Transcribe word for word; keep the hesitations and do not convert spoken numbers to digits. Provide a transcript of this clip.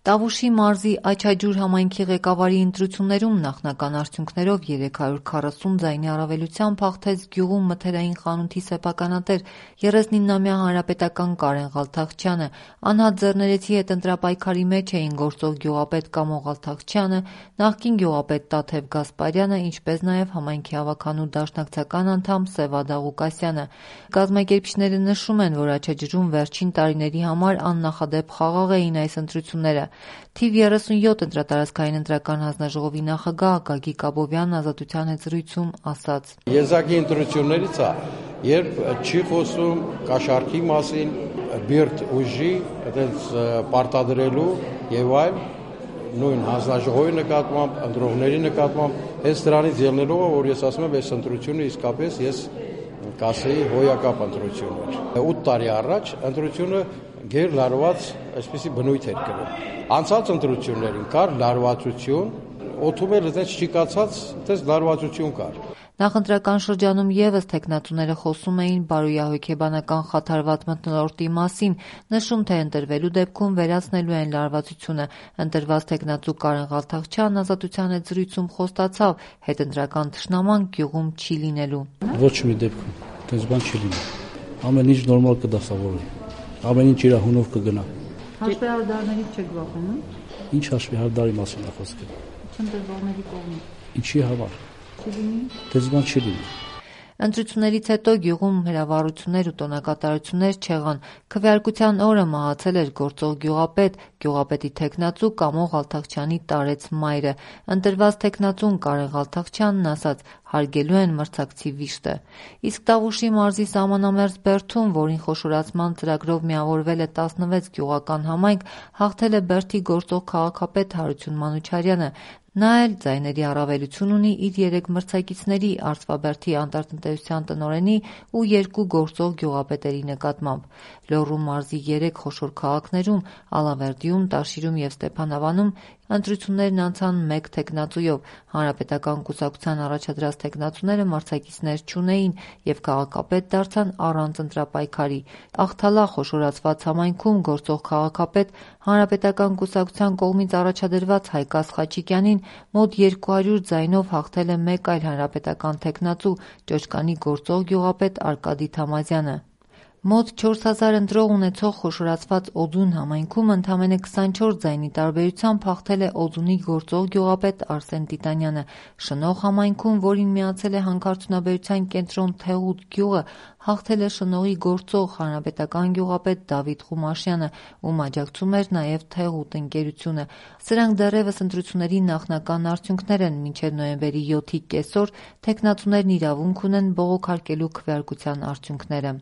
Տավուշի մարզի Աչաջուր համայնքի ղեկավարի ընտրություններում նախնական արդյունքներով երեք հարյուր քառասուն ձայնի առավելությամբ հաղթեց գյուղում մթերային խանութի սեփականատեր երեսնինամյա հանրապետական Կարեն Ղալթախչյանը։ Անհատ ձեռներեցի հետ ընտրապայքարի մեջ էին գործող գյուղապետ Կամո Ղալթախչյանը, նախկին գյուղապետ Տաթև Գասպարյանը, ինչպես նաև համայնքի ավագանու դաշնակցական անդամ Սևադա Ղուկասյանը։ Կազմակերպիչները նշում են, որ Աչաջուրում վերջին տարիների համար աննախադեպ խաղաղ էին այս ընտրությունները։ Թիվ երեսունյոթ ընտրատարածքային ընտրական հանձնաժողովի նախագահ Գագիկ Աբովյանն Ազատության հետ զրույցում ասաց. Եզակի ընտրություններից է, երբ չի խոսում կաշառքի մասին, բիրտ ուժի, այդպես պարտադրելու եւ այլ նույն հանձնաժողովի նկատմամբ, ընտրողների նկատմամբ, հենց դրանից ելնելով, որ ես ասում եմ, այս ընտրությունը իսկապես ես կասեի հոյակապ ընտրություն էր։ ութ տարի առաջ ընտրությունը գեր լարված այսպիսի բնույթ էր կրում։ Անցած ընտրություններին կար լարվածություն, օդում էլ այդպես չիկացած, այդպես լարվածություն կար։ Նախընտրական շրջանում եւս թեկնածուները խոսում էին բարոյահոգեբանական խաթարված մթնոլորտի մասին, նշում, թե ընտրվելու դեպքում վերացնելու են լարվածությունը։ Ընտրված թեկնածու Կարեն Ղալթախչյանն Ազատության հետ զրույցում խոստացավ, հետընտրական թշնաման գյուղում չի լինելու։ Ոչ մի դեպքում, այդպես բան չի լինի։ Ամեն ինչ նորմալ կդասավորվի։ Ամեն ինչ իր հունով կգնա։ Հաշվի հարդարներից չեք վախենում։ Ինչ հաշվի հարդարի մասին է խոսքը։ Չընտրվողների կողմից։ Ինչի համար։ Չի լինի։ Այդպես բան չի լինի։ Ընտրություններից հետո գյուղում հրավառություններ ու տոնակատարություններ չեղան։ Քվեարկության օրը մահացել էր գործող գյուղապետ, գյուղապետի թեկնածու Կամո Ղալթախչյանի տարեց մայրը։ Ընտրված թեկնածուն Կարեն Ղալթախչյանն ասաց, հարգելու են մրցակցի վիշտը։ Իսկ Տավուշի մարզի սահմանամերձ Բերդում, որին խոշորացման ծրագրով միավորվել է տասնվեց գյուղական համայնք, հաղթել է Բերդի գործող քաղաքապետ Հարություն Մանուչարյանը։ Նա էլ ձայների առավելություն ունի իր երեք մրցակիցների՝ Արծվաբերդի անտարտնտեսության տնօրենի ու երկու գործող գյուղապետերի նկատմամբ։ Լոռու մարզի երեք խոշոր քաղաքներում՝ Ալավերդիում, Տաշիրում և Ստեփանավանում ընտրություններն անցան մեկ թեկնածուով։ Հանրապետական կուսակցության առաջադրած թեկնածուները մրցակիցներ չունեին և քաղաքապետ դարձան առանց ընտրապայքարի։ Աղթալա խոշորացված համայնքում գործող քաղաքապետ Հանրապետական կուսակցության կողմից առաջադրված Հայկազ Խաչիկյանին մոտ երկու հարյուր ձայնով հաղթել է մեկ այլ հանրապետական թեկնածու՝ Ճոճկանի գործող գյուղապետ Արկադի Թամազյանը։ Մոտ չորս հազար ընտրող ունեցող խոշորացված Օձուն համայնքում ընդամենը քսանչորս ձայնի տարբերությամբ հաղթել է Օձունի գործող գյուղապետ Արսեն Տիտանյանը։ Շնող համայնքում, որին միացել է հանքարդյունաբերության կենտրոն Թեղուտ գյուղը, հաղթել է Շնողի գործող հանրապետական գյուղապետ Դավիթ Խումաշյանը, ում աջակցում էր նաև Թեղուտ ընկերությունը։ Սրանք դեռևս ընտրությունների նախնական արդյունքներ են։ Մինչև նոյեմբերի յոթի կեսօր թեկնածուներն իրավունք ունեն բողոքարկելու քվեարկության արդյունքները։